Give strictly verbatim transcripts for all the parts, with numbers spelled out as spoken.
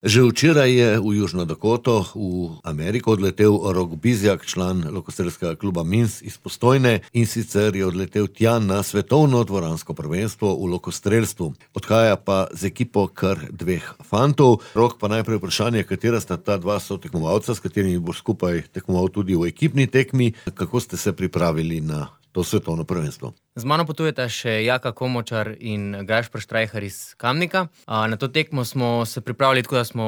Že včeraj je v Južno Dakoto v Ameriko odletel Rok Bizjak, član lokostrelskega kluba Minsk iz Postojne, in sicer je odletel tja na svetovno dvoransko prvenstvo v lokostrelstvu. Odhaja pa z ekipo kar dveh fantov. Rok, pa najprej vprašanje, katera sta ta dva sotekmovalca, s katerimi boš skupaj tekmoval tudi v ekipni tekmi. Kako ste se pripravili na to svetovno prvenstvo? Z mano potujeta še Jaka Komočar in Gašper Štrajhar iz Kamnika. Na to tekmo smo se pripravili tako, da smo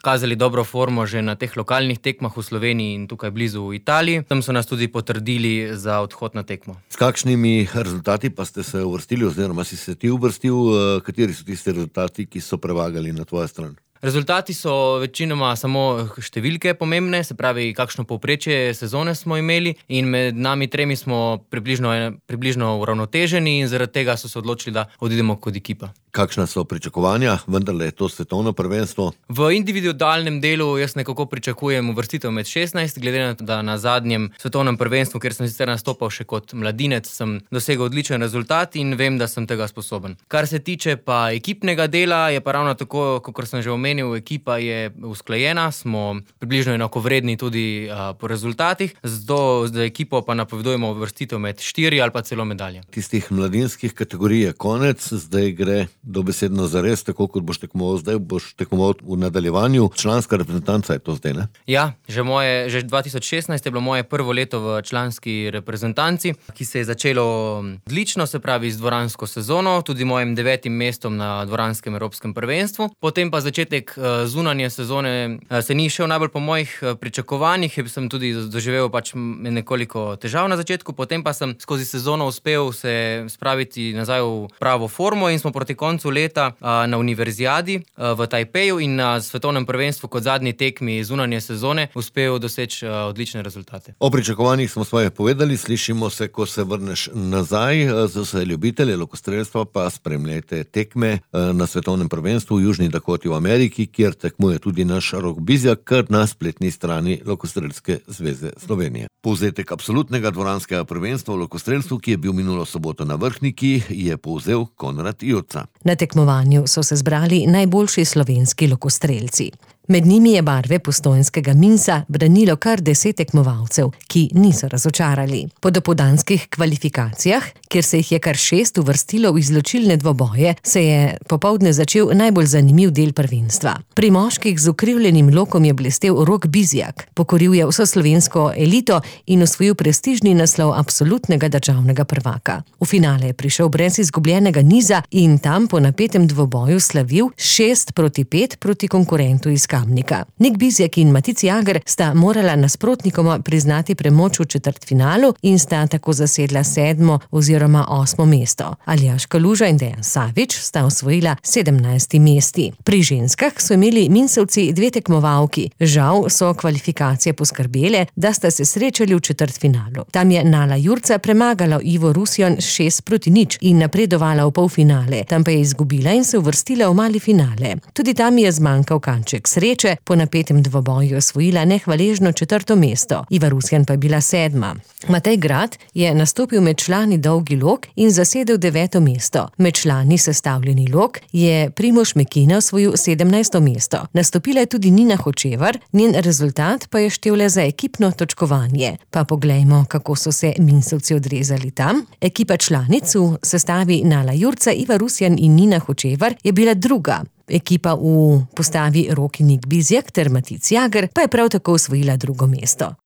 kazali dobro formo že na teh lokalnih tekmah v Sloveniji in tukaj blizu v Italiji. Tam so nas tudi potrdili za odhod na tekmo. S kakšnimi rezultati pa ste se uvrstili, oziroma si se ti uvrstil? Kateri so tisti rezultati, ki so prevagali na tvojo stran? Rezultati so večinoma samo številke pomembne, se pravi, kakšno povprečje sezone smo imeli, in med nami tremi smo približno, približno uravnoteženi in zaradi tega so se odločili, da odidemo kot ekipa. Kakšna so pričakovanja? Vendarle je to svetovno prvenstvo. V individualnem delu jaz nekako pričakujem uvrstitev med šestnajst, glede na to, da na zadnjem svetovnem prvenstvu, kjer sem sicer nastopal še kot mladinec, sem dosegel odličen rezultat in vem, da sem tega sposoben. Kar se tiče pa ekipnega dela, je pa ravno tako, kot sem že omenil, ekipa je usklajena, smo približno enakovredni tudi a, po rezultatih, zato za ekipo pa napovedujemo uvrstitev med štiri ali pa celo medalje. Tistih mladinskih kategorij je konec, zdaj gre dobesedno zares, tako kot boš tekmoval zdaj, boš tekmoval v nadaljevanju. Članska reprezentanca je to zdaj, ne? Ja, že, moje, že dva tisoč šestnajst je bilo moje prvo leto v članski reprezentanci, ki se je začelo odlično, se pravi z dvoransko sezono, tudi mojim devetim mestom na dvoranskem evropskem prvenstvu. Potem pa začetek zunanje sezone se ni šel najbolj po mojih pričakovanjih, sem tudi doživel pač nekoliko težav na začetku, potem pa sem skozi sezono uspel se spraviti nazaj v pravo formo in smo proti koncu leta na univerzijadi v Tajpeju in na svetovnem prvenstvu kot zadnji tekmi zunanje sezone uspel doseči odlične rezultate. O pričakovanjih smo svoje povedali, slišimo se, ko se vrneš nazaj. Za vse ljubitelje lokostrelstva pa spremljajte tekme na svetovnem prvenstvu v Južni Dakoti v Ameriki, kjer tekmuje tudi naš Rok Bizjak, kar na spletni strani Lokostrelske zveze Slovenije. Povzetek absolutnega dvoranskega prvenstva v lokostrelstvu, ki je bil minulo soboto na Vrhniki, je povzel Konrad Joca. Na tekmovanju so se zbrali najboljši slovenski lokostrelci. Med njimi je barve postojnskega Minsa branilo kar deset tekmovalcev, ki niso razočarali. Po dopoldanskih kvalifikacijah, kjer se jih je kar šest uvrstilo v izločilne dvoboje, se je popoldne začel najbolj zanimiv del prvenstva. Pri moških z ukrivljenim lokom je blestel Rok Bizjak, pokoril je vso slovensko elito in osvojil prestižni naslov absolutnega državnega prvaka. V finale je prišel brez izgubljenega niza in tam po napetem dvoboju slavil šest proti pet proti konkurentu iz Kamnika. Nik Bizjak in Matic Jager sta morala nasprotnikoma priznati premoč v četrtfinalu in sta tako zasedla sedmo oziroma osmo mesto. Aljaž Kaluža in Dejan Savič sta osvojila sedemnajsti mesti. Pri ženskah so imeli Minsovci dve tekmovalki. Žal so kvalifikacije poskrbele, da sta se srečali v četrtfinalu. Tam je Nala Jurca premagala Ivo Rusjon šest proti nič in napredovala v polfinale. Tam pa je izgubila in se uvrstila v mali finale. Tudi tam je zmanjkal kanček sreče, po napetem dvoboju osvojila nehvaležno četrto mesto. Iva Rusjan pa je bila sedma. Matej Grad je nastopil med člani dolgi lok in zasedel deveto mesto. Med člani sestavljeni lok je Primož Mekina osvojil sedemnajsto mesto. Nastopila je tudi Nina Hočevar, njen rezultat pa je štel le za ekipno točkovanje. Pa poglejmo, kako so se Minsovci odrezali tam. Ekipa članic v sestavi Nala Jurca, Iva Rusjan in Nina Hočevar je bila druga. Ekipa v postavi Rok in Nik Bizjak ter Matic Jager pa je prav tako osvojila drugo mesto.